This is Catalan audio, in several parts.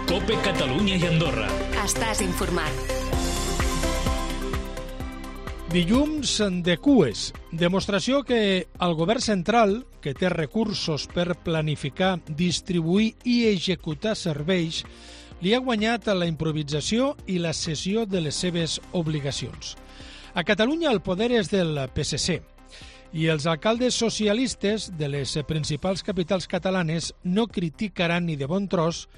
COPE Catalunya i Andorra. Estàs informat. Dilluns de cues. Demostració que el govern central, que té recursos per planificar, distribuir i executar serveis, li ha guanyat a la improvisació i la cessió de les seves obligacions. A Catalunya el poder és del PSC i els alcaldes socialistes de les principals capitals catalanes no criticaran ni de bon tros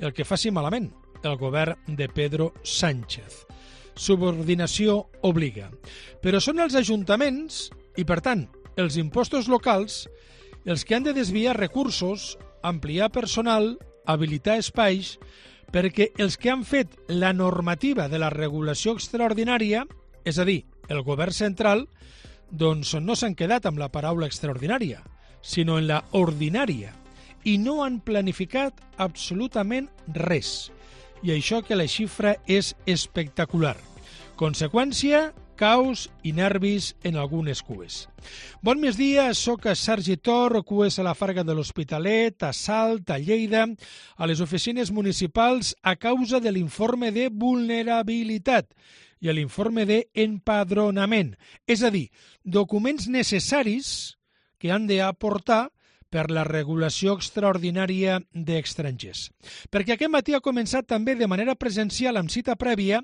el que faci malament el govern de Pedro Sánchez. Subordinació obliga. Però són els ajuntaments i, per tant, els impostos locals els que han de desviar recursos, ampliar personal, habilitar espais, perquè els que han fet la normativa de la regulació extraordinària, és a dir, el govern central, doncs no s'han quedat amb la paraula extraordinària, sinó en la ordinària, i no han planificat absolutament res. I això que la xifra és espectacular. Conseqüència, caos i nervis en algunes cues. Bon migdia, soc Sergi Tor, cues a la Farga de l'Hospitalet, a Salt, a Lleida, a les oficines municipals a causa de l'informe de vulnerabilitat i a l'informe d'empadronament, és a dir, documents necessaris que han d'aportar per la regulació extraordinària d'estrangers. Perquè aquest matí ha començat també de manera presencial amb cita prèvia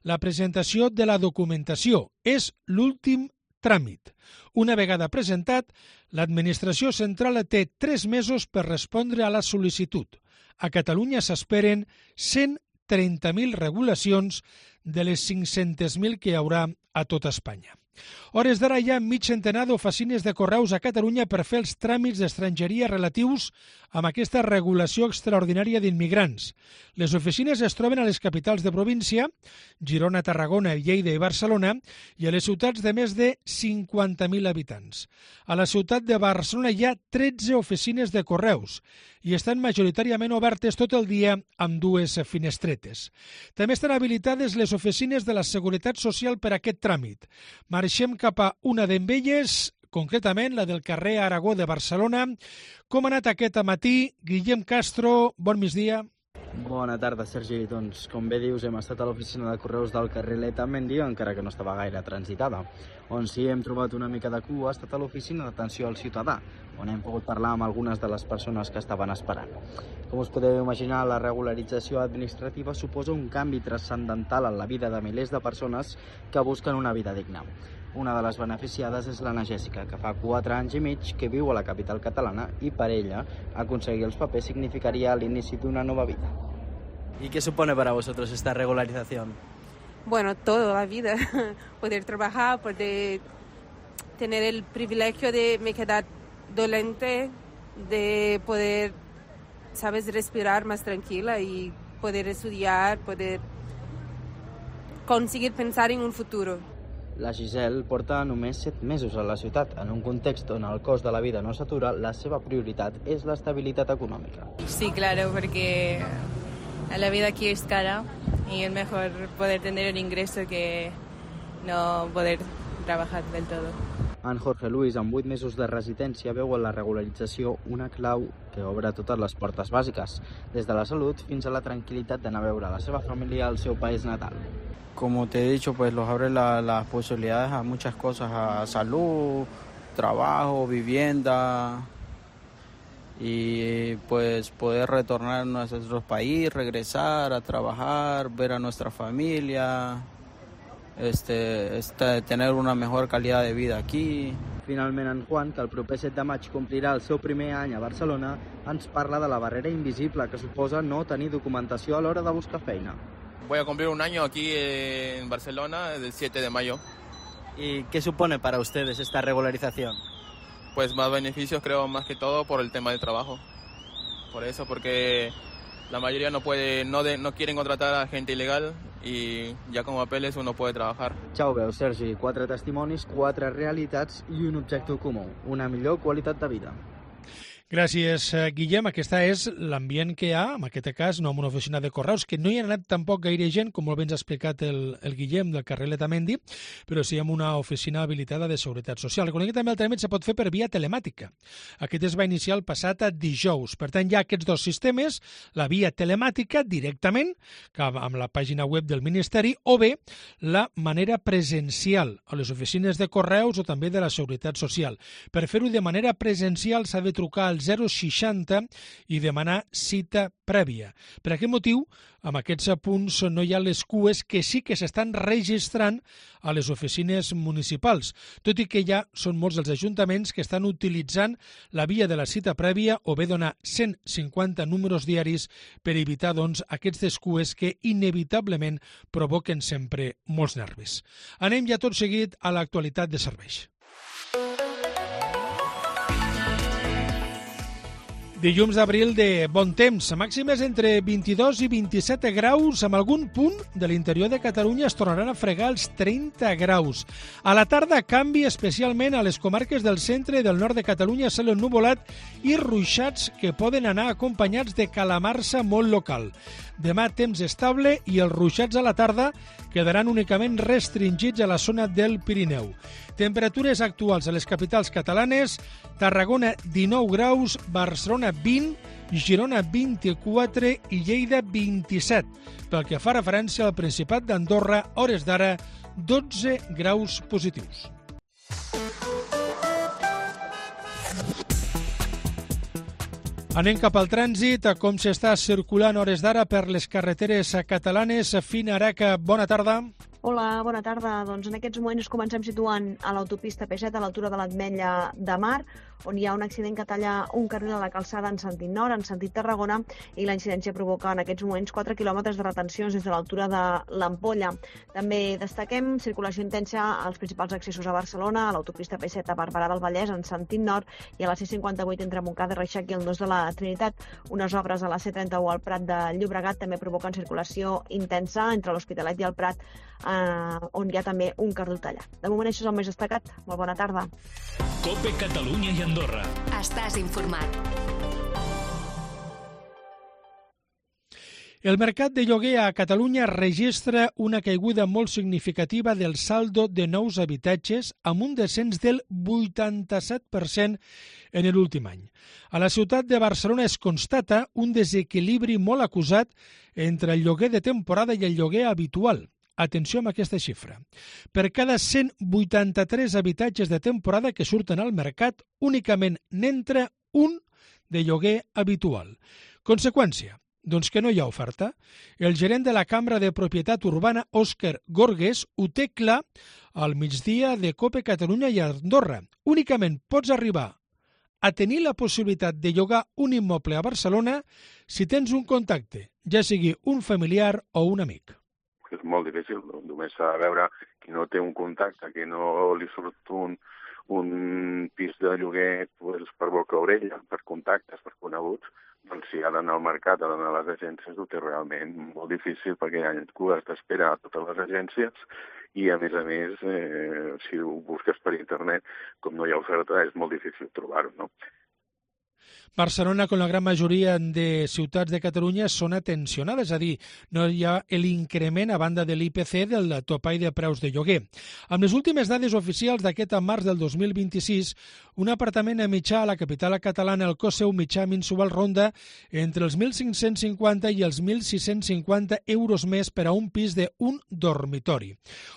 la presentació de la documentació. És l'últim tràmit. Una vegada presentat, l'administració central té 3 mesos per respondre a la sol·licitud. A Catalunya s'esperen 130.000 regulacions de les 500.000 que hi haurà a tot Espanya. Hores d'ara hi ha mig centenar d'oficines de correus a Catalunya per fer els tràmits d'estrangeria relatius amb aquesta regulació extraordinària d'immigrants. Les oficines es troben a les capitals de província, Girona, Tarragona, Lleida i Barcelona, i a les ciutats de més de 50.000 habitants. A la ciutat de Barcelona hi ha 13 oficines de correus i estan majoritàriament obertes tot el dia amb 2 finestretes. També estan habilitades les oficines de la Seguretat Social per a aquest tràmit. Marxem cap a una d'elles, concretament la del carrer Aragó de Barcelona. Com ha anat aquest matí? Guillem Castro, bon migdia. Bona tarda, Sergi. Doncs, com bé dius, hem estat a l'oficina de correus del carrer Letamendi, encara que no estava gaire transitada. On sí hem trobat una mica de cua ha estat a l'oficina d'atenció al ciutadà, on hem pogut parlar amb algunes de les persones que estaven esperant. Com us podeu imaginar, la regularització administrativa suposa un canvi transcendental en la vida de milers de persones que busquen una vida digna. Una de les beneficiades és l'Anna Jèssica, que fa 4 anys i mig que viu a la capital catalana i per ella aconseguir els papers significaria l'inici d'una nova vida. ¿Y qué supone para vosotros esta regularización? Bueno, toda la vida. Poder trabajar, poder tener el privilegio de me quedar dolente, de poder, sabes, respirar más tranquila y poder estudiar, poder conseguir pensar en un futuro. La Giselle porta només 7 mesos a la ciutat. En un context on el cost de la vida no s'atura, la seva prioritat és l'estabilitat econòmica. Sí, claro, porque la vida aquí es cara y es mejor poder tener un ingreso que no poder trabajar del todo. En Jorge Luis, amb 8 mesos de residència, veu en la regularització una clau que obre totes les portes bàsiques, des de la salut fins a la tranquil·litat d'anar a veure la seva família al seu país natal. Como te he dicho, pues los abre las posibilidades a muchas cosas, a salud, trabajo, vivienda y pues poder retornar a nuestro país, regresar a trabajar, ver a nuestra familia, tener una mejor calidad de vida aquí. Finalment, en Juan, que el proper 7 de maig complirà el seu primer any a Barcelona, ens parla de la barrera invisible que suposa no tenir documentació a l'hora de buscar feina. Voy a cumplir un año aquí en Barcelona el 7 de mayo. ¿Y qué supone para ustedes esta regularización? Pues más beneficios, creo, más que todo por el tema del trabajo. Por eso, porque la mayoría no quieren contratar a gente ilegal y ya con papeles uno puede trabajar. Ja ho veus, Sergi, 4 testimonis, 4 realitats i un objectiu comú, una millor qualitat de vida. Gràcies, Guillem. Aquesta és l'ambient que hi ha, en aquest cas, no en una oficina de correus, que no hi ha anat tampoc gaire gent, com molt bé ens ha explicat el Guillem del carrer Letamendi, però sí en una oficina habilitada de Seguretat Social. Recordem que també el tràmit se pot fer per via telemàtica. Aquest es va iniciar el passat dijous. Per tant, hi ha aquests dos sistemes, la via telemàtica directament, amb la pàgina web del Ministeri, o bé la manera presencial a les oficines de correus o també de la Seguretat Social. Per fer-ho de manera presencial s'ha de trucar al 060 i demanar cita prèvia. Per aquest motiu, amb aquests punts no hi ha les cues que sí que s'estan registrant a les oficines municipals, tot i que ja són molts els ajuntaments que estan utilitzant la via de la cita prèvia o bé donar 150 números diaris per evitar aquestes cues que inevitablement provoquen sempre molts nervis. Anem ja tot seguit a l'actualitat de serveis. Dilluns d'abril de bon temps, màximes entre 22 i 27 graus, amb algun punt de l'interior de Catalunya es tornaran a fregar els 30 graus. A la tarda canvi especialment a les comarques del centre i del nord de Catalunya, cel ennuvolat i ruixats que poden anar acompanyats de calamarsa molt local. Demà temps estable i els ruixats a la tarda quedaran únicament restringits a la zona del Pirineu. Temperatures actuals a les capitals catalanes: Tarragona 19 graus, Barcelona 20, Girona 24 i Lleida 27. Pel que fa referència al Principat d'Andorra, a hores d'ara 12 graus positius. Anem cap al trànsit, com s'està circulant a hores d'ara per les carreteres catalanes. Fina Araca, bona tarda. Hola, bona tarda. Doncs en aquests moments comencem situant a l'autopista P7 a l'altura de l'Ametlla de Mar, on hi ha un accident que talla un carril a la calçada en sentit nord, en sentit Tarragona, i la incidència provoca en aquests moments 4 quilòmetres de retencions des de l'altura de l'Ampolla. També destaquem circulació intensa als principals accessos a Barcelona, a l'autopista P7 a Barberà del Vallès en sentit nord i a la C58 entre Montcada i Reixac i el Nus de la Trinitat. Unes obres a la C31 al Prat de Llobregat també provoquen circulació intensa entre l'Hospitalet i el Prat, on hi ha també un carril tallat. De moment això és el més destacat. Molt bona tarda. COPE Catalunya i Andorra. Estàs informat. El mercat de lloguer a Catalunya registra una caiguda molt significativa del saldo de nous habitatges, amb un descens del 87% en l'últim any. A la ciutat de Barcelona es constata un desequilibri molt acusat entre el lloguer de temporada i el lloguer habitual. Atenció amb aquesta xifra. Per cada 183 habitatges de temporada que surten al mercat, únicament n'entra un de lloguer habitual. Conseqüència, doncs que no hi ha oferta. El gerent de la Cambra de Propietat Urbana, Òscar Gorgues, ho té clar al migdia de COPE Catalunya i Andorra. Únicament pots arribar a tenir la possibilitat de llogar un immoble a Barcelona si tens un contacte, ja sigui un familiar o un amic. És molt difícil, només s'ha de veure qui no té un contacte, que no li surt un pis de lloguer pues, per boca orella, per contactes, per coneguts, doncs si ha d'anar al mercat, ha d'anar a les agències, ho té realment molt difícil perquè hi ha cues d'espera a totes les agències i, a més, si ho busques per internet, com no hi ha oferta, és molt difícil trobar-ho, no? Barcelona, com la gran majoria de ciutats de Catalunya, són atencionades, és a dir, no hi ha l'increment a banda de l'IPC del topall de preus de lloguer. Amb les últimes dades oficials d'aquest març del 2026, un apartament a mitjà a la capital catalana, el cost seu mitjà mensual ronda entre els 1.550 i els 1.650 euros més per a un pis d'un dormitori.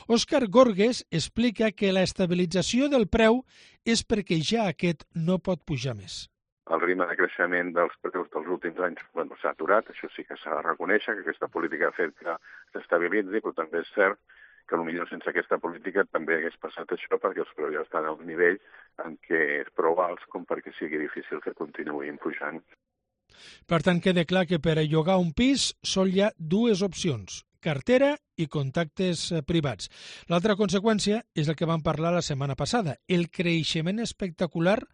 Òscar Gorgues explica que la estabilització del preu és perquè ja aquest no pot pujar més. El ritme de creixement dels preus dels últims anys s'ha aturat, això sí que s'ha de reconèixer, que aquesta política ha fet que s'estabilitzi, però també és cert que potser sense aquesta política també hagués passat això perquè els preus ja estan a un nivell en què és prou alts com perquè sigui difícil que continuïn pujant. Per tant, queda clar que per a llogar un pis sol hi ha dues opcions: cartera i contactes privats. L'altra conseqüència és el que vam parlar la setmana passada, el creixement espectacular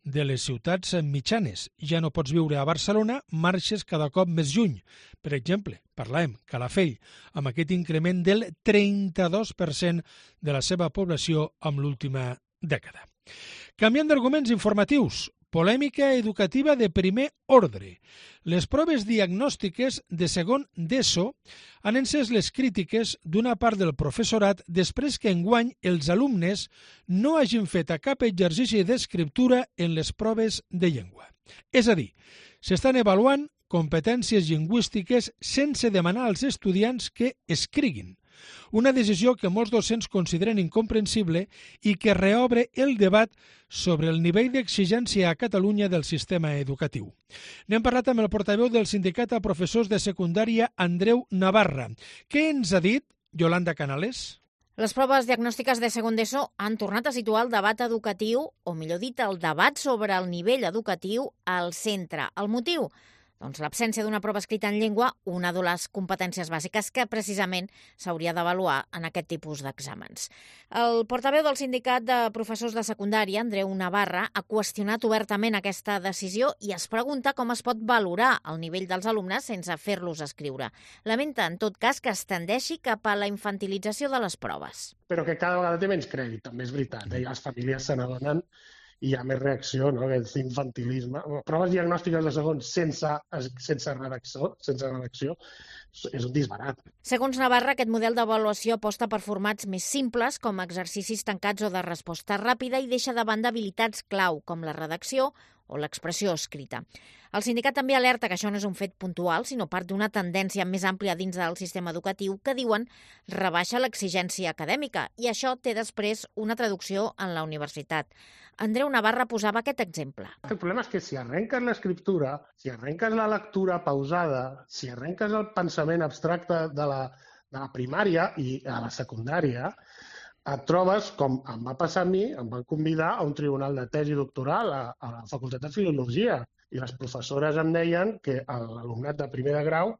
de les ciutats mitjanes. Ja no pots viure a Barcelona, marxes cada cop més lluny. Per exemple, parlàvem Calafell, amb aquest increment del 32% de la seva població amb l'última dècada. Canviant d'arguments informatius, Polèmica educativa de primer ordre. Les proves diagnòstiques de segon d'ESO han encès les crítiques d'una part del professorat després que enguany els alumnes no hagin fet cap exercici d'escriptura en les proves de llengua. És a dir, s'estan avaluant competències lingüístiques sense demanar als estudiants que escriguin. Una decisió que molts docents consideren incomprensible i que reobre el debat sobre el nivell d'exigència a Catalunya del sistema educatiu. N'hem parlat amb el portaveu del sindicat a professors de secundària, Andreu Navarra. Què ens ha dit Yolanda Canales? Les proves diagnòstiques de segon d'ESO han tornat a situar el debat educatiu, o millor dit, el debat sobre el nivell educatiu al centre. El motiu? Doncs l'absència d'una prova escrita en llengua, una de les competències bàsiques que precisament s'hauria d'avaluar en aquest tipus d'exàmens. El portaveu del sindicat de professors de secundària, Andreu Navarra, ha qüestionat obertament aquesta decisió i es pregunta com es pot valorar el nivell dels alumnes sense fer-los escriure. Lamenta, en tot cas, que es tendeixi cap a la infantilització de les proves. Però que cada vegada té menys crèdit, també és veritat. Les famílies se n'adonen i hi ha més reacció, no? Aquest infantilisme. Proves diagnòstiques de segon sense redacció és un disbarat. Segons Navarra, aquest model d'avaluació aposta per formats més simples, com exercicis tancats o de resposta ràpida, i deixa de banda habilitats clau, com la redacció o l'expressió escrita. El sindicat també alerta que això no és un fet puntual, sinó part d'una tendència més àmplia dins del sistema educatiu que, diuen, rebaixa l'exigència acadèmica, i això té després una traducció en la universitat. Andreu Navarra posava aquest exemple. El problema és que si arrenques l'escriptura, si arrenques la lectura pausada, si arrenques el pensament abstracte de la primària i a la secundària, et trobes, com em va passar a mi, em van convidar a un tribunal de tesi doctoral a la Facultat de Filologia, i les professores em deien que l'alumnat de primer de grau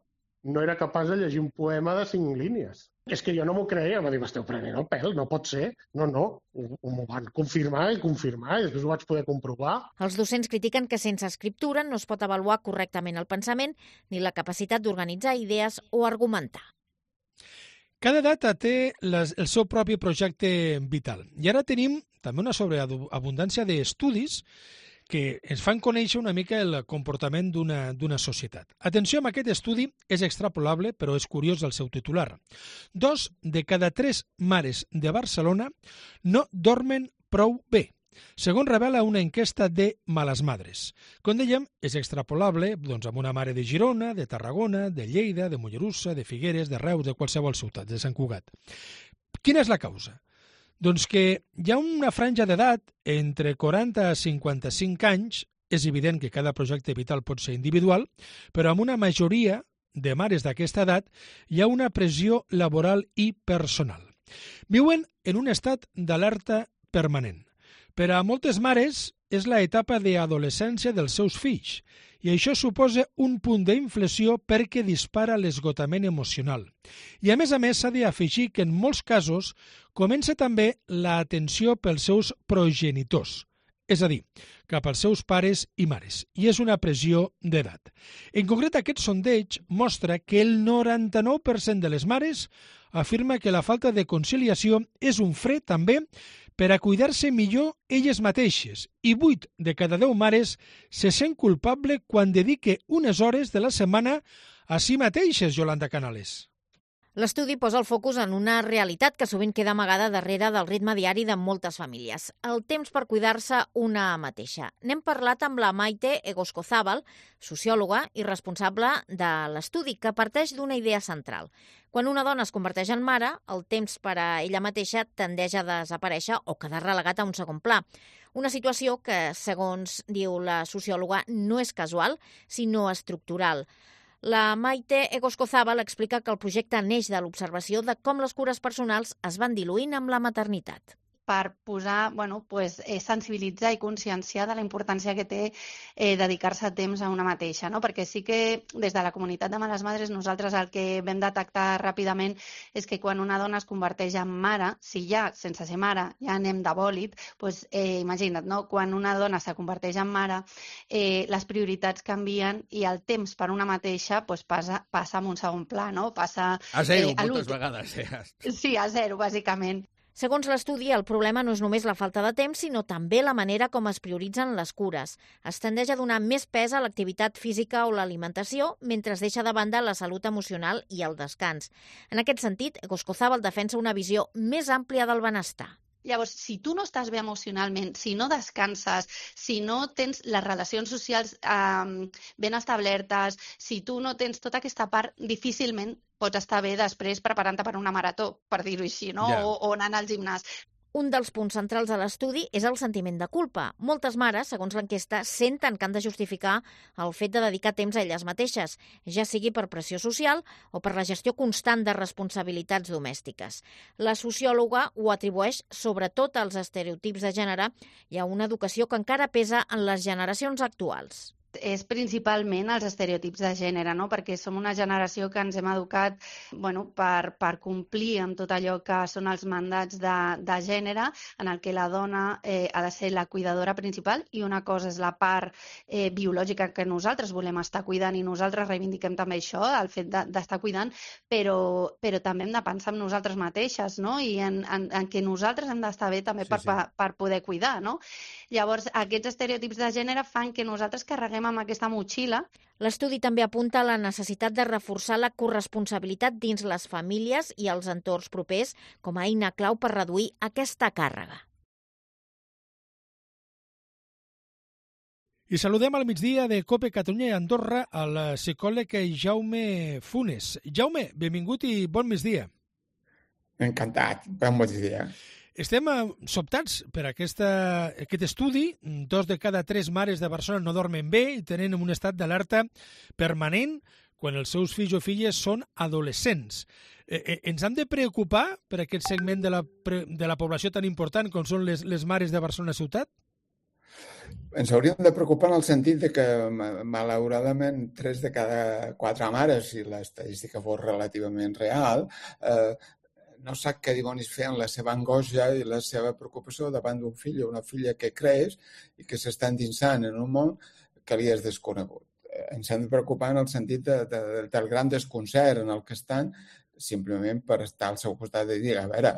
no era capaç de llegir un poema de 5 línies. És que jo no m'ho creia, em va dir, m'esteu prenent el pèl, no pot ser. No, m'ho van confirmar i després ho vaig poder comprovar. Els docents critiquen que sense escriptura no es pot avaluar correctament el pensament ni la capacitat d'organitzar idees o argumentar. Cada data té el seu propi projecte vital. I ara tenim també una sobreabundància d'estudis que ens fan conèixer una mica el comportament d'una societat. Atenció amb aquest estudi, és extrapolable, però és curiós el seu titular. 2 de cada 3 mares de Barcelona no dormen prou bé, segons revela una enquesta de Males Madres. Com dèiem, és extrapolable amb una mare de Girona, de Tarragona, de Lleida, de Mollerussa, de Figueres, de Reus, de qualsevol ciutat, de Sant Cugat. Quina és la causa? Doncs que hi ha una franja d'edat entre 40 a 55 anys, és evident que cada projecte vital pot ser individual, però amb una majoria de mares d'aquesta edat hi ha una pressió laboral i personal. Viuen en un estat d'alerta permanent. Per a moltes mares és l'etapa d'adolescència dels seus fills i això suposa un punt d'inflexió perquè dispara l'esgotament emocional. I a més s'ha d'afegir que en molts casos comença també l'atenció pels seus progenitors, és a dir, cap als seus pares i mares, i és una pressió d'edat. En concret, aquest sondeig mostra que el 99% de les mares afirma que la falta de conciliació és un fre també per a cuidar-se millor elles mateixes, i 8 de cada 10 mares se sent culpable quan dedique unes hores de la setmana a si mateixes, Yolanda Canales. L'estudi posa el focus en una realitat que sovint queda amagada darrere del ritme diari de moltes famílies, el temps per cuidar-se una mateixa. N'hem parlat amb la Maite Egoscozábal, sociòloga i responsable de l'estudi, que parteix d'una idea central. Quan una dona es converteix en mare, el temps per a ella mateixa tendeix a desaparèixer o quedar relegat a un segon pla. Una situació que, segons diu la sociòloga, no és casual, sinó estructural. La Maite Egoscozábal explica que el projecte neix de l'observació de com les cures personals es van diluint amb la maternitat. Per posar, sensibilitzar i conscienciar de la importància que té dedicar-se temps a una mateixa, no? Perquè sí que des de la comunitat de Males Madres nosaltres el que vam detectar ràpidament és que quan una dona es converteix en mare, si ja, sense ser mare, ja anem de bòlit, imagina't, no? Quan una dona se converteix en mare, les prioritats canvien i el temps per una mateixa passa en un segon pla, no? Passa a zero, moltes vegades. Sí, a zero, bàsicament. Segons l'estudi, el problema no és només la falta de temps, sinó també la manera com es prioritzen les cures. Es tendeix a donar més pes a l'activitat física o l'alimentació, mentre es deixa de banda la salut emocional i el descans. En aquest sentit, Egoscozábal defensa una visió més àmplia del benestar. Llavors, si tu no estàs bé emocionalment, si no descanses, si no tens les relacions socials ben establertes, si tu no tens tota aquesta part, difícilment pots estar bé després preparant-te per una marató, per dir-ho així, no? Ja. O anant al gimnàs. Un dels punts centrals de l'estudi és el sentiment de culpa. Moltes mares, segons l'enquesta, senten que han de justificar el fet de dedicar temps a elles mateixes, ja sigui per pressió social o per la gestió constant de responsabilitats domèstiques. La sociòloga ho atribueix sobretot als estereotips de gènere i a una educació que encara pesa en les generacions actuals. És principalment els estereotips de gènere, no? Perquè som una generació que ens hem educat per complir amb tot allò que són els mandats de gènere, en el que la dona ha de ser la cuidadora principal i una cosa és la part biològica que nosaltres volem estar cuidant i nosaltres reivindiquem també això, el fet d'estar cuidant, però també hem de pensar en nosaltres mateixes, no? I en què nosaltres hem d'estar bé també per poder cuidar, no? Llavors, aquests estereotips de gènere fan que nosaltres carreguem amb aquesta motxilla. L'estudi també apunta a la necessitat de reforçar la corresponsabilitat dins les famílies i els entorns propers com a eina clau per reduir aquesta càrrega. I saludem al migdia de COPE Catalunya i Andorra al psicòleg Jaume Funes. Jaume, benvingut i bon migdia. Encantat, bon migdia. Estem sobtats per aquest estudi. 2 de cada 3 mares de Barcelona no dormen bé i tenen un estat d'alerta permanent quan els seus fills o filles són adolescents. Ens hem de preocupar per aquest segment de la població tan important com són les mares de Barcelona ciutat? Ens hauríem de preocupar en el sentit de que, malauradament, 3 de cada 4 mares, si l'estadística fos relativament real, no sap què dimonis fer amb la seva angoixa i la seva preocupació davant d'un fill o una filla que creix i que s'està endinsant en un món que li és desconegut. Ens hem de preocupar en el sentit del gran desconcert en el que estan, simplement per estar al seu costat i dir, a veure,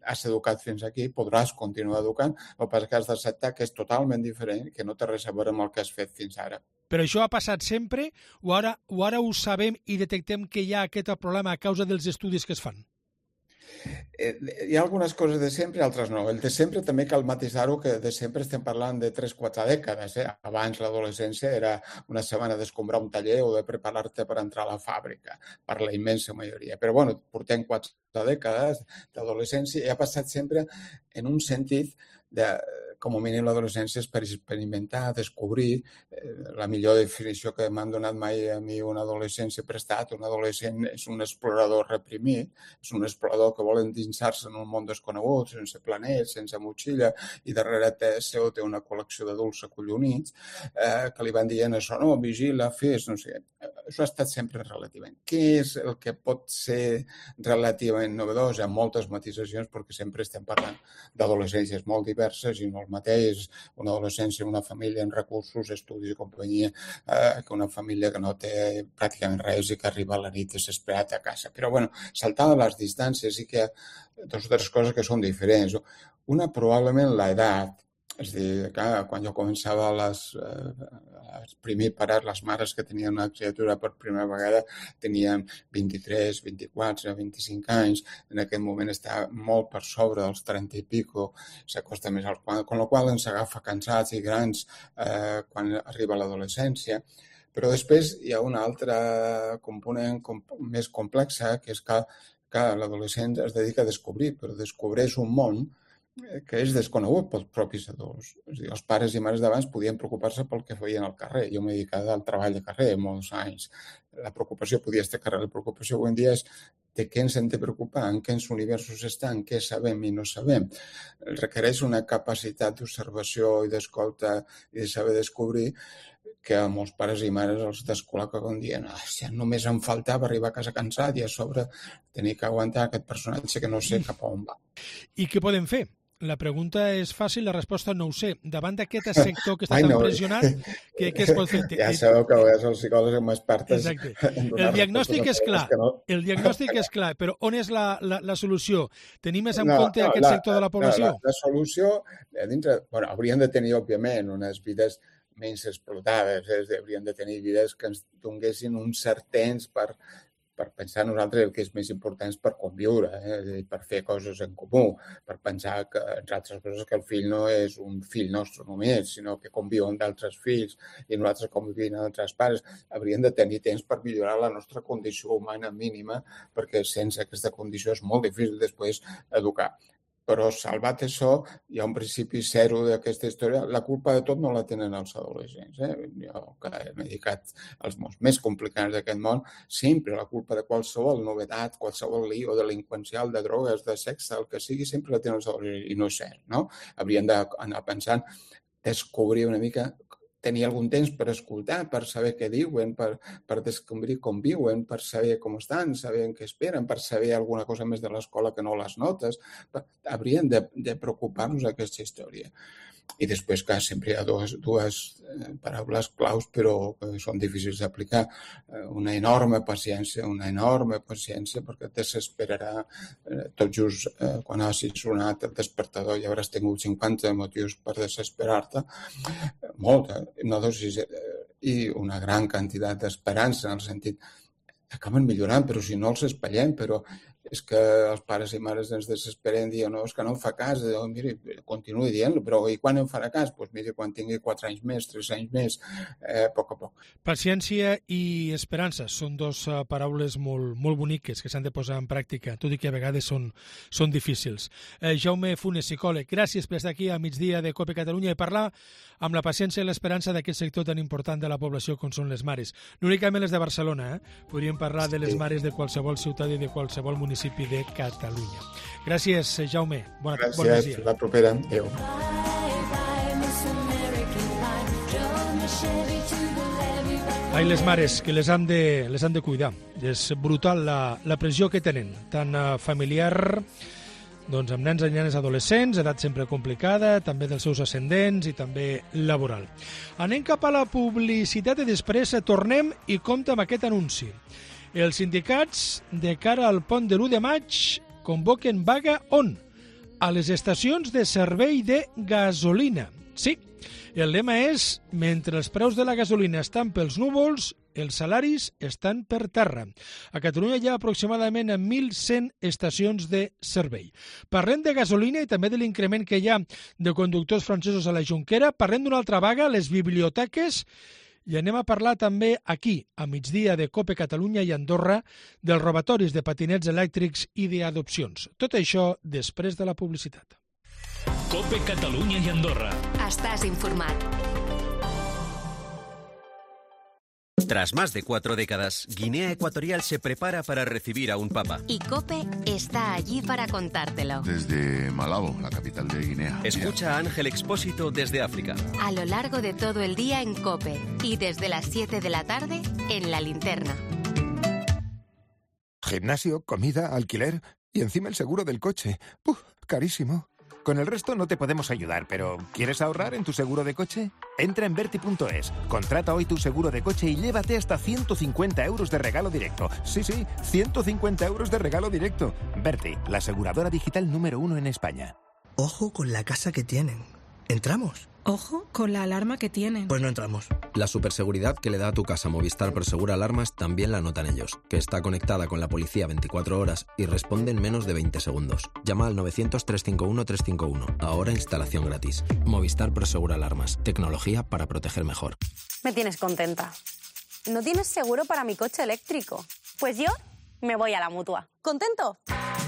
has educat fins aquí, podràs continuar educant, el que passa que has d'acceptar que és totalment diferent, que no té res a veure amb el que has fet fins ara. Però això ha passat sempre o ara ho sabem i detectem que hi ha aquest problema a causa dels estudis que es fan? Hi ha algunes coses de sempre i altres no. El de sempre també cal matisar-ho, que de sempre estem parlant de 3-4 dècades. Abans l'adolescència era una setmana d'escombrar un taller o de preparar-te per entrar a la fàbrica, per la immensa majoria. Però bueno, portem 4 dècades d'adolescència i ha passat sempre en un sentit de, com a mínim, l'adolescència és per experimentar, descobrir. La millor definició que m'han donat mai a mi una adolescència prestat, un adolescent és un explorador reprimit, és un explorador que vol endinsar-se en un món desconegut, sense planets, sense motxilla, i darrere seu té una col·lecció d'adults acollonits que li van dient això, no, vigila, fes, no sé. Això ha estat sempre relativament. Què és el que pot ser relativament novedós? Hi ha moltes matisacions perquè sempre estem parlant d'adolescències molt diverses i no el mateix una adolescència, una família amb recursos, estudis i companyia, que una família que no té pràcticament res i que arriba a la nit desesperat a casa. Però, bueno, saltant les distàncies sí que hi ha 2 o 3 coses que són diferents. Una, probablement, l'edat. És a dir, quan jo començava primer parar, les mares que tenien una criatura per primera vegada tenien 23, 24, 25 anys. En aquest moment està molt per sobre dels 30 i pico, s'acosta més als 40, amb la qual ens agafa cansats i grans quan arriba l'adolescència. Però després hi ha una altra component més complexa, que és que l'adolescent es dedica a descobrir, però descobreix un món que és desconegut pels propis adults. És a dir, els pares i mares d'abans podien preocupar-se pel que feien al carrer. Jo m'he dedicat al treball de carrer molts anys. La preocupació podia estar al carrer. La preocupació avui en dia és de què ens hem de preocupar, en quins universos estan, què sabem i no sabem. Requereix una capacitat d'observació i d'escolta i de saber descobrir que a molts pares i mares els descol·loca com dient si només em faltava arribar a casa cansat i a sobre tenir que aguantar aquest personatge que no sé cap a on va. I què podem fer? La pregunta és fàcil, la resposta no ho sé. Davant d'aquest sector que està tan pressionat, què es pot fer? Ja sabeu que els psicòlegs som expertes. Exacte. El diagnòstic és clar, el diagnòstic és clar, però on és la solució? Tenir més en compte aquest sector de la població? La solució, haurien de tenir, òbviament, unes vides menys explotades, haurien de tenir vides que ens donguessin un cert temps per pensar nosaltres el que és més important és per conviure, per fer coses en comú, per pensar que, entre altres coses, que el fill no és un fill nostre només, sinó que conviu amb d'altres fills i nosaltres convivim amb altres pares. Hauríem de tenir temps per millorar la nostra condició humana mínima, perquè sense aquesta condició és molt difícil després educar. Però salvat això, hi ha un principi zero d'aquesta història. La culpa de tot no la tenen els adolescents. Jo, que m'he dedicat als mons més complicats d'aquest món, sempre la culpa de qualsevol novetat, qualsevol lío delinqüencial, de drogues, de sexe, el que sigui, sempre la tenen els adolescents. I no és cert, no? Haurien d'anar pensant, descobrir una mica, tenir algun temps per escoltar, per saber què diuen, per descobrir com viuen, per saber com estan, saber què esperen, per saber alguna cosa més de l'escola que no les notes. Haurien de preocupar-nos d'aquesta història. I després, clar, sempre hi ha dues paraules claus, però que són difícils d'aplicar. Una enorme paciència, perquè et desesperarà tot just quan hagis sonat el despertador i hauràs tingut 50 motius per desesperar-te. Molta, una dosis i una gran quantitat d'esperança, en el sentit acaben millorant, però si no els espatllem, però és que els pares i mares ens desesperen i diuen, no, és que no em fa cas, miri, continuï dient-lo, però i quan em farà cas? Doncs miri, quan tingui 4 anys més, 3 anys més, a poc a poc. Paciència i esperança són dos paraules molt boniques que s'han de posar en pràctica, tot i que a vegades són difícils. Jaume Funes, psicòleg, gràcies per estar aquí a migdia de COPE Catalunya i parlar amb la paciència i l'esperança d'aquest sector tan important de la població com són les mares. No únicament les de Barcelona, podríem parlar de les mares de qualsevol ciutat i de qualsevol municipi de Catalunya. Gràcies, Jaume. Bon dia. Gràcies, la propera. Adéu. Ai, les mares, que les han de cuidar. És brutal la pressió que tenen, tant familiar, doncs amb nens i nenes adolescents, edat sempre complicada, també dels seus ascendents i també laboral. Anem cap a la publicitat i després tornem i compta amb aquest anunci. Els sindicats, de cara al pont de l'1 de maig, convoquen vaga on? A les estacions de servei de gasolina. Sí, el lema és, mentre els preus de la gasolina estan pels núvols, els salaris estan per terra. A Catalunya hi ha aproximadament 1.100 estacions de servei. Parlem de gasolina i també de l'increment que hi ha de conductors francesos a la Jonquera. Parlem d'una altra vaga, les biblioteques, i anem a parlar també aquí, a migdia de COPE Catalunya i Andorra, dels robatoris de patinets elèctrics i d'adopcions. Tot això després de la publicitat. COPE Catalunya i Andorra. Estàs informat. Tras más de 4 décadas, Guinea Ecuatorial se prepara para recibir a un papa. Y COPE está allí para contártelo. Desde Malabo, la capital de Guinea. Escucha a Ángel Expósito desde África. A lo largo de todo el día en COPE y desde las 7 de la tarde en La Linterna. Gimnasio, comida, alquiler y encima el seguro del coche. Carísimo. Con el resto no te podemos ayudar, pero ¿quieres ahorrar en tu seguro de coche? Entra en Verti.es, contrata hoy tu seguro de coche y llévate hasta 150 euros de regalo directo. Sí, 150 euros de regalo directo. Verti, la aseguradora digital número 1 en España. Ojo con la casa que tienen. ¿Entramos? Ojo con la alarma que tienen. Pues no entramos. La superseguridad que le da a tu casa Movistar Prosegur Alarmas también la notan ellos, que está conectada con la policía 24 horas y responde en menos de 20 segundos. Llama al 900-351-351. Ahora instalación gratis. Movistar Prosegur Alarmas. Tecnología para proteger mejor. Me tienes contenta. ¿No tienes seguro para mi coche eléctrico? Pues yo me voy a la Mutua. ¿Contento?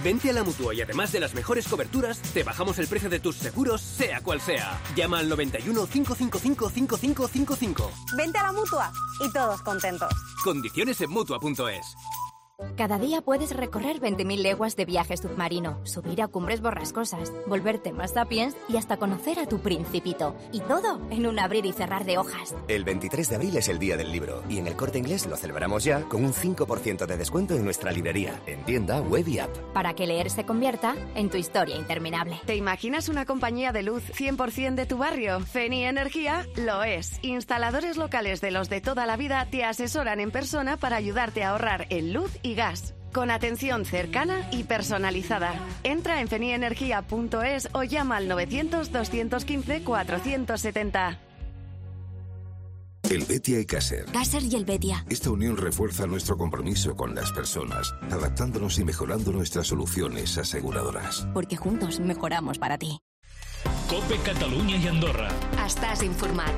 Vente a la Mutua y además de las mejores coberturas, te bajamos el precio de tus seguros, sea cual sea. Llama al 91 555 5555. Vente a la Mutua y todos contentos. Condiciones en Mutua.es. Cada día puedes recorrer 20.000 leguas de viaje submarino, subir a cumbres borrascosas, volverte más sapiens y hasta conocer a tu principito. Y todo en un abrir y cerrar de hojas. El 23 de abril es el Día del Libro y en El Corte Inglés lo celebramos ya con un 5% de descuento en nuestra librería, en tienda, web y app. Para que leer se convierta en tu historia interminable. ¿Te imaginas una compañía de luz 100% de tu barrio? Feni Energía lo es. Instaladores locales de los de toda la vida te asesoran en persona para ayudarte a ahorrar en luz y gas, con atención cercana y personalizada. Entra en fenienergia.es o llama al 900-215-470. El Betia y Caser. Caser y el Betia. Esta unión refuerza nuestro compromiso con las personas, adaptándonos y mejorando nuestras soluciones aseguradoras. Porque juntos mejoramos para ti. COPE Catalunya i Andorra. Estàs informat.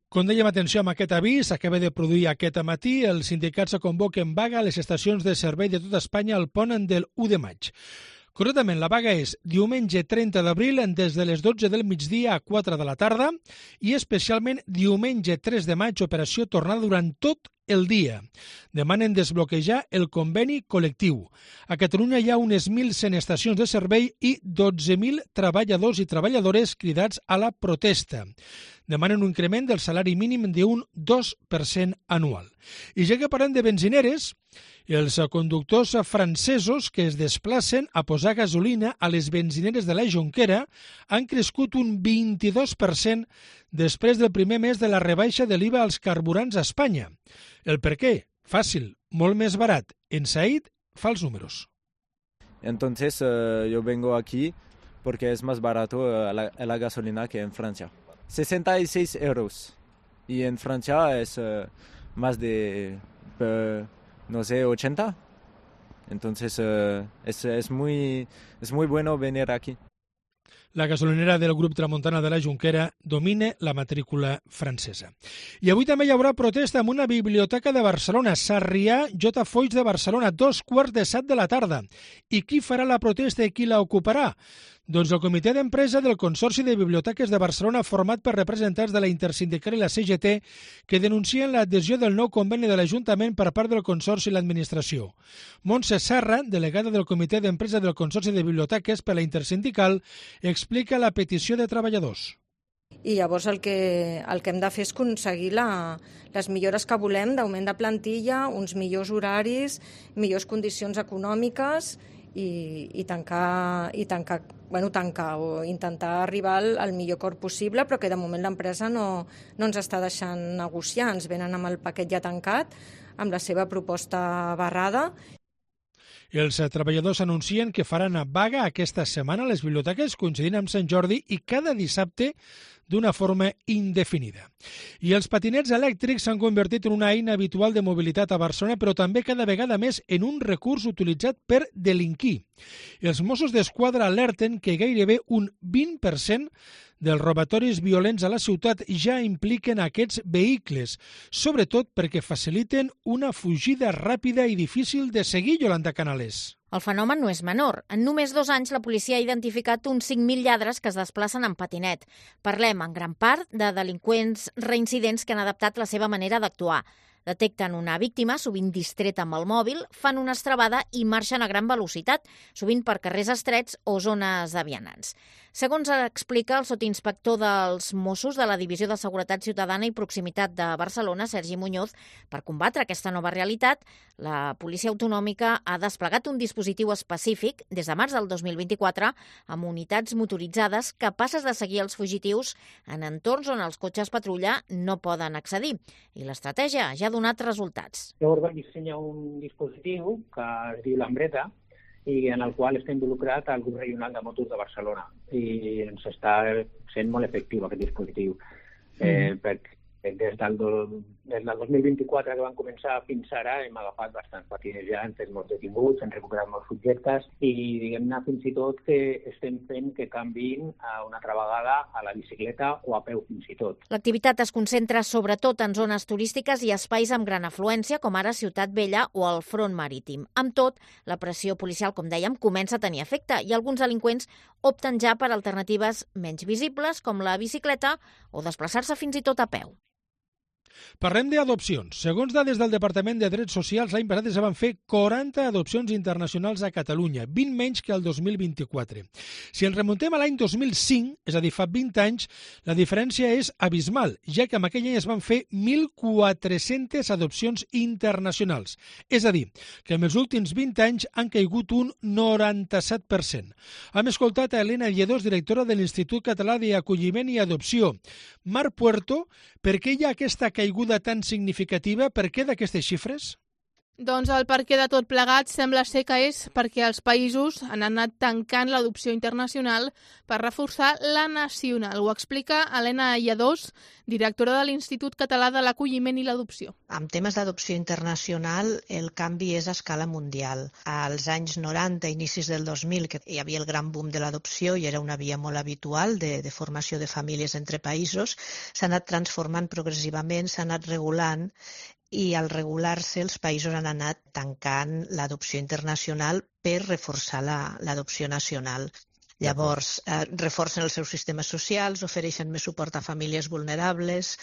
Com dèiem, atenció amb aquest avís, s'acaba de produir aquest matí, els sindicats convoquen vaga a les estacions de servei de tot Espanya al pont del 1 de maig. Concretament, la vaga és diumenge 30 d'abril des de les 12 del migdia a 4 de la tarda i especialment diumenge 3 de maig, operació tornada durant tot el dia. Demanen desbloquejar el conveni col·lectiu. A Catalunya hi ha unes 1.100 estacions de servei i 12.000 treballadors i treballadores cridats a la protesta. Demanen un increment del salari mínim d'un 2% anual. I ja que parlem de benzineres, els conductors francesos que es desplacen a posar gasolina a les benzineres de la Jonquera han crescut un 22% després del primer mes de la rebaixa de l'IVA als carburants a Espanya. El per què? Fàcil, molt més barat. En Said fa els números. Entonces yo vengo aquí porque es más barato la gasolina que en Francia. 66 euros. Y en Francia es más de, no sé, 80. Entonces es muy bueno venir aquí. La gasolinera del grup Tramuntana de la Jonquera domina la matrícula francesa. I avui també hi haurà protesta en una biblioteca de Barcelona, Sarrià J. Foix de Barcelona, 2:15 de la tarda. I qui farà la protesta i qui la ocuparà? Doncs el comitè d'empresa del Consorci de Biblioteques de Barcelona, format per representants de la Intersindical i la CGT, que denuncien l'adhesió del nou conveni de l'Ajuntament per part del Consorci i l'Administració. Montse Serra, delegada del comitè d'empresa del Consorci de Biblioteques per la Intersindical, explica la petició de treballadors. I llavors el que hem de fer és aconseguir les millores que volem d'augment de plantilla, uns millors horaris, millors condicions econòmiques i tancar o intentar arribar al millor acord possible, però que de moment l'empresa no ens està deixant negociar. Ens venen amb el paquet ja tancat, amb la seva proposta barrada. Els treballadors anuncien que faran vaga aquesta setmana a les biblioteques, coincidint amb Sant Jordi i cada dissabte d'una forma indefinida. I els patinets elèctrics s'han convertit en una eina habitual de mobilitat a Barcelona, però també cada vegada més en un recurs utilitzat per delinquir. Els Mossos d'Esquadra alerten que gairebé un 20% dels robatoris violents a la ciutat ja impliquen aquests vehicles, sobretot perquè faciliten una fugida ràpida i difícil de seguir, Yolanda Canales. El fenomen no és menor. En només 2 anys la policia ha identificat uns 5.000 lladres que es desplacen en patinet. Parlem en gran part de delinqüents reincidents que han adaptat la seva manera d'actuar. Detecten una víctima, sovint distreta amb el mòbil, fan una estrabada i marxen a gran velocitat, sovint per carrers estrets o zones de vianants. Segons explica el sotinspector dels Mossos de la Divisió de Seguretat Ciutadana i Proximitat de Barcelona, Sergi Muñoz, per combatre aquesta nova realitat, la Policia Autonòmica ha desplegat un dispositiu específic des de març del 2024 amb unitats motoritzades capaces de seguir els fugitius en entorns on els cotxes patrulla no poden accedir. I l'estratègia ja ha donat resultats. Llavors vam dissenyar un dispositiu que es diu l'Ambreta i en el qual està involucrat el grup regional de motos de Barcelona i ens està sent molt efectiu aquest dispositiu. Perquè des del 2024 que van començar fins ara hem agafat bastants patiners ja, hem fet molts detinguts, hem recuperat molts subjectes i diguem-ne fins i tot que estem fent que canviïn una altra vegada a la bicicleta o a peu fins i tot. L'activitat es concentra sobretot en zones turístiques i espais amb gran afluència com ara Ciutat Vella o el Front Marítim. Amb tot, la pressió policial, com dèiem, comença a tenir efecte i alguns delinqüents opten ja per alternatives menys visibles com la bicicleta o desplaçar-se fins i tot a peu. Parlem d'adopcions. Segons dades del Departament de Drets Socials, l'any passat es van fer 40 adopcions internacionals a Catalunya, 20 menys que el 2024. Si ens remuntem a l'any 2005, és a dir, fa 20 anys, la diferència és abismal, ja que en aquell any es van fer 1.400 adopcions internacionals. És a dir, que en els últims 20 anys han caigut un 97%. Hem escoltat a Elena Lledós, directora de l'Institut Català d'Acolliment i Adopció. Mar Puerto, per què hi ha aquesta caiguda tan significativa? Per què d'aquestes xifres? Doncs el perquè de tot plegat sembla ser que és perquè els països han anat tancant l'adopció internacional per reforçar la nacional. Ho explica Elena Lledós, directora de l'Institut Català de l'Acolliment i l'Adopció. En temes d'adopció internacional, el canvi és a escala mundial. Als anys 90, inicis del 2000, que hi havia el gran boom de l'adopció i era una via molt habitual de formació de famílies entre països, s'ha anat transformant progressivament, s'ha anat regulant, i al regular-se els països han anat tancant l'adopció internacional per reforçar l'adopció nacional. Llavors, reforcen els seus sistemes socials, ofereixen més suport a famílies vulnerables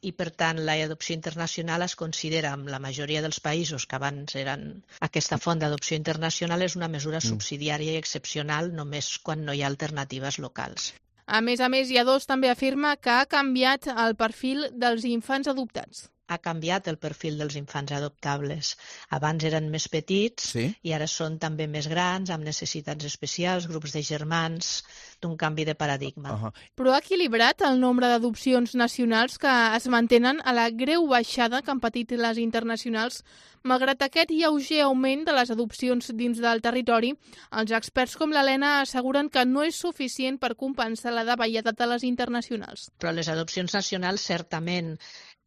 i, per tant, l'adopció internacional es considera, en la majoria dels països que abans eren aquesta font d'adopció internacional, és una mesura subsidiària i excepcional només quan no hi ha alternatives locals. A més, Lledós també afirma que ha canviat el perfil dels infants adoptats. Ha canviat el perfil dels infants adoptables. Abans eren més petits i ara són també més grans, amb necessitats especials, grups de germans, d'un canvi de paradigma. Però ha equilibrat el nombre d'adopcions nacionals que es mantenen a la greu baixada que han patit les internacionals. Malgrat aquest lleuger augment de les adopcions dins del territori, els experts com l'Helena asseguren que no és suficient per compensar la davallada de les internacionals. Però les adopcions nacionals certament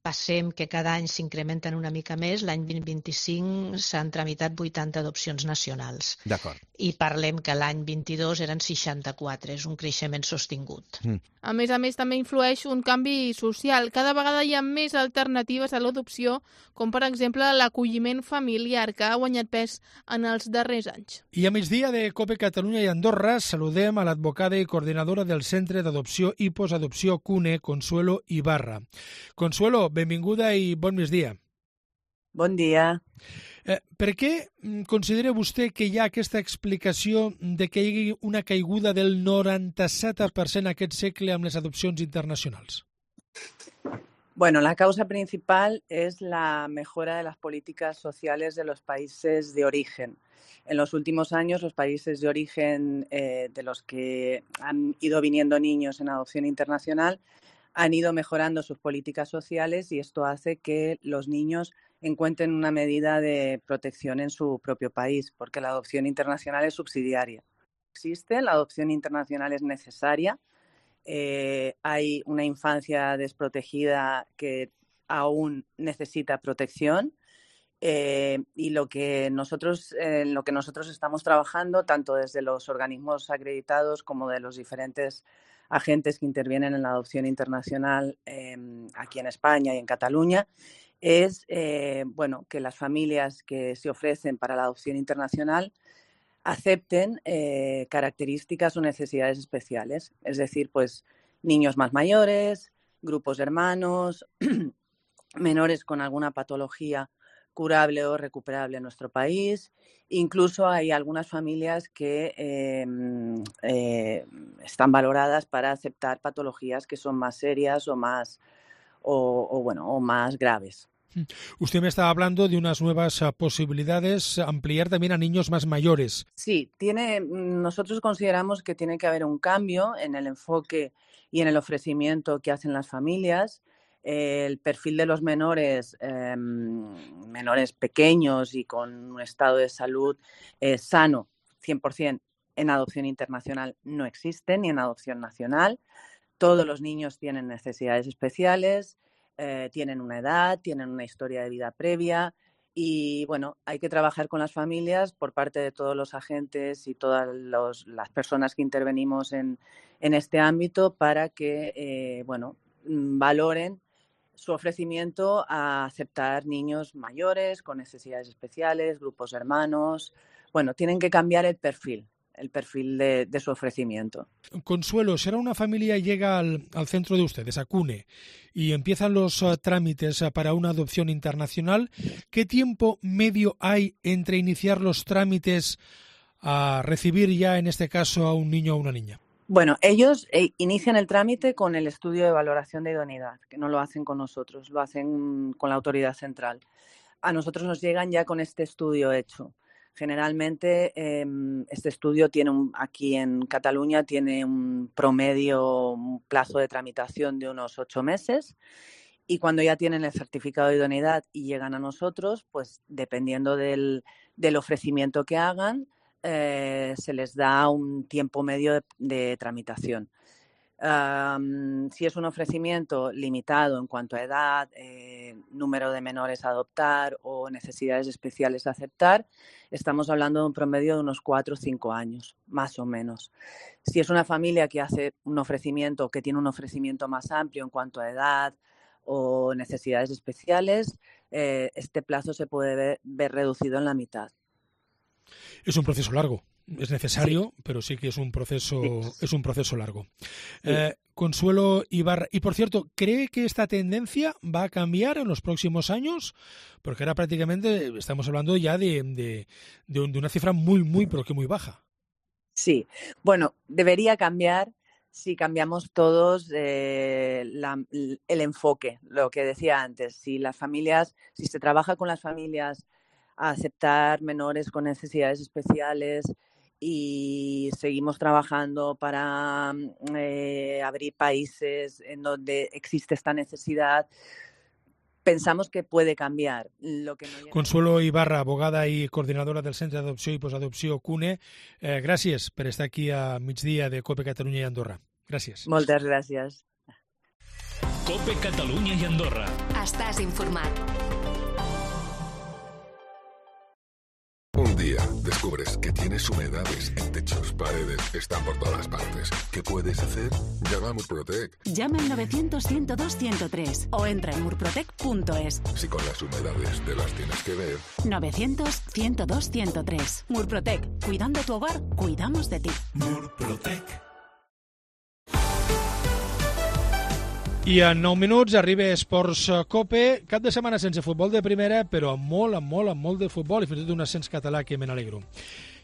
passem que cada any s'incrementen una mica més. L'any 2025 s'han tramitat 80 adopcions nacionals. D'acord. I parlem que l'any 22 eren 64, és un creixement sostingut. A més, també influeix un canvi social. Cada vegada hi ha més alternatives a l'adopció, com per exemple l'acolliment familiar, que ha guanyat pes en els darrers anys. I a migdia de COPE Catalunya i Andorra saludem a l'advocada i coordinadora del Centre d'Adopció i Postadopció CUNE, Consuelo Ibarra. Consuelo, benvinguda i bon migdia. Bon dia. Per què considera vostè que hi ha aquesta explicació de que hi hagi una caiguda del 97% aquest segle amb les adopcions internacionals? Bueno, la causa principal es la mejora de las políticas sociales de los países de origen. En los últimos años, los países de origen de los que han ido viniendo niños en adopción internacional han ido mejorando sus políticas sociales y esto hace que los niños encuentren una medida de protección en su propio país, porque la adopción internacional es subsidiaria. Existe, la adopción internacional es necesaria. Hay una infancia desprotegida que aún necesita protección y en lo que nosotros estamos trabajando, tanto desde los organismos acreditados como de los diferentes agentes que intervienen en la adopción internacional aquí en España y en Cataluña, es que las familias que se ofrecen para la adopción internacional acepten características o necesidades especiales, es decir, pues niños más mayores, grupos de hermanos, menores con alguna patología curable o recuperable en nuestro país. Incluso hay algunas familias que están valoradas para aceptar patologías que son más serias o más graves. Usted me estaba hablando de unas nuevas posibilidades, ampliar también a niños más mayores. Sí, nosotros consideramos que tiene que haber un cambio en el enfoque y en el ofrecimiento que hacen las familias. El perfil de los menores pequeños y con un estado de salud sano, 100%, en adopción internacional no existe, ni en adopción nacional. Todos los niños tienen necesidades especiales, tienen una edad, tienen una historia de vida previa y, bueno, hay que trabajar con las familias por parte de todos los agentes y todas las personas que intervenimos en este ámbito para que, valoren su ofrecimiento a aceptar niños mayores con necesidades especiales, grupos de hermanos. Bueno, tienen que cambiar el perfil el perfil de su ofrecimiento. Consuelo, si ahora una familia llega al centro de ustedes, a CUNE, y empiezan los trámites para una adopción internacional, ¿qué tiempo medio hay entre iniciar los trámites a recibir ya, en este caso, a un niño o una niña? Bueno, ellos inician el trámite con el estudio de valoración de idoneidad, que no lo hacen con nosotros, lo hacen con la autoridad central. A nosotros nos llegan ya con este estudio hecho. Generalmente este estudio aquí en Cataluña tiene un plazo de tramitación de unos 8 meses, y cuando ya tienen el certificado de idoneidad y llegan a nosotros, pues dependiendo del ofrecimiento que hagan, se les da un tiempo medio de tramitación. Si es un ofrecimiento limitado en cuanto a edad, número de menores a adoptar o necesidades especiales a aceptar, estamos hablando de un promedio de unos 4 o 5 años, más o menos. Si es una familia que hace un ofrecimiento, que tiene un ofrecimiento más amplio en cuanto a edad o necesidades especiales, este plazo se puede ver reducido en la mitad. Es un proceso largo. Es necesario, sí, pero sí que es un proceso largo. Sí. Consuelo Ibarra, y por cierto, ¿cree que esta tendencia va a cambiar en los próximos años? Porque ahora prácticamente estamos hablando ya de una cifra muy, pero que muy baja. Sí, bueno, debería cambiar si cambiamos todos el enfoque, lo que decía antes. Si se trabaja con las familias a aceptar menores con necesidades especiales, y seguimos trabajando para abrir países en donde existe esta necesidad, pensamos que puede cambiar. Consuelo Ibarra, abogada i coordinadora del Centre d'Adopció i Postadopció CUNE, gràcies per estar aquí a migdia de COPE Catalunya i Andorra. Gràcies. Moltes gràcies. COPE Catalunya i Andorra. Estàs informat. Un día descubres que tienes humedades en techos, paredes, están por todas partes. ¿Qué puedes hacer? Llama a Murprotec. Llama al 900-102-103 o entra en murprotec.es. Si con las humedades te las tienes que ver. 900-102-103. Murprotec. Cuidando tu hogar, cuidamos de ti. Murprotec. I en 9 minuts arriba Esports COPE, cap de setmana sense futbol de primera, però amb molt de futbol i fins i tot un ascens català que me n'alegro.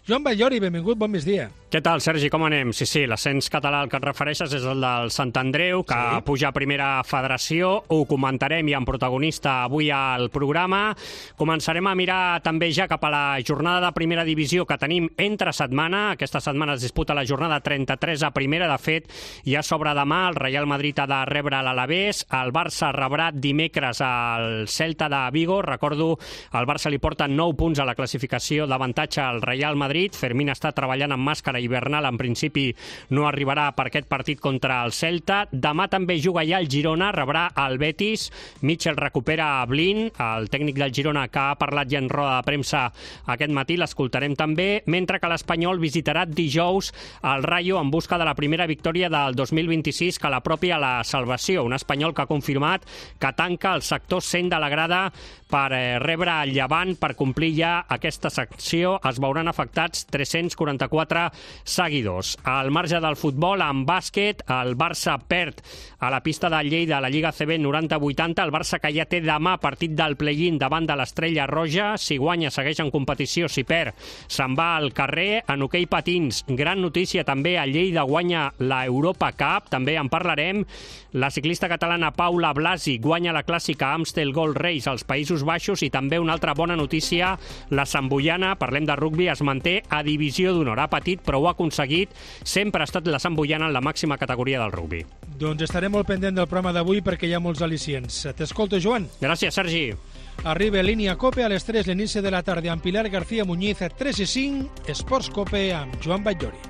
Joan Batllori, benvingut, bon migdia. Què tal, Sergi, com anem? Sí, l'ascens català al que et refereixes és el del Sant Andreu, que puja a primera federació. Ho comentarem i amb protagonista avui al programa. Començarem a mirar també ja cap a la jornada de primera divisió que tenim entre setmana. Aquesta setmana es disputa la jornada 33 a primera. De fet, ja s'obre demà. El Real Madrid ha de rebre l'Alavés. El Barça rebrà dimecres al Celta de Vigo. Recordo, el Barça li porta 9 punts a la classificació d'avantatge al Real Madrid. Fermín està treballant amb màscara hivernal, en principi no arribarà per aquest partit contra el Celta. Demà també juga ja el Girona, rebrà el Betis. Mitchell recupera a Blin, el tècnic del Girona, que ha parlat ja en roda de premsa aquest matí, l'escoltarem també, mentre que l'Espanyol visitarà dijous el Rayo en busca de la primera victòria del 2026 que l'apropia a la salvació. Un Espanyol que ha confirmat que tanca el sector 100 de la grada per rebre el Llevant, per complir ja aquesta secció. Es veuran afectats 344 seguidors. Al marge del futbol, en bàsquet, el Barça perd a la pista de Lleida a la Lliga CB 90-80. El Barça que ja té demà partit del play-in davant de l'Estrella Roja. Si guanya, segueix en competició. Si perd, se'n va al carrer. En hoquei patins, gran notícia també. A Lleida guanya la Europa Cup. També en parlarem. La ciclista catalana Paula Blasi guanya la clàssica Amstel Gold Race als Països Baixos. I també una altra bona notícia, la Santboiana, parlem de rugbi, es manté a divisió d'honor. Ha patit, però ho ha aconseguit. Sempre ha estat la Santboiana en la màxima categoria del rugbi. Doncs estarem molt pendent del programa d'avui perquè hi ha molts al·licients. T'escolto, Joan. Gràcies, Sergi. Arriba Línia Cope a les 3, l'inici de la tarda amb Pilar García Muñiz, a 3 i 5, Esports Cope amb Joan Batllori.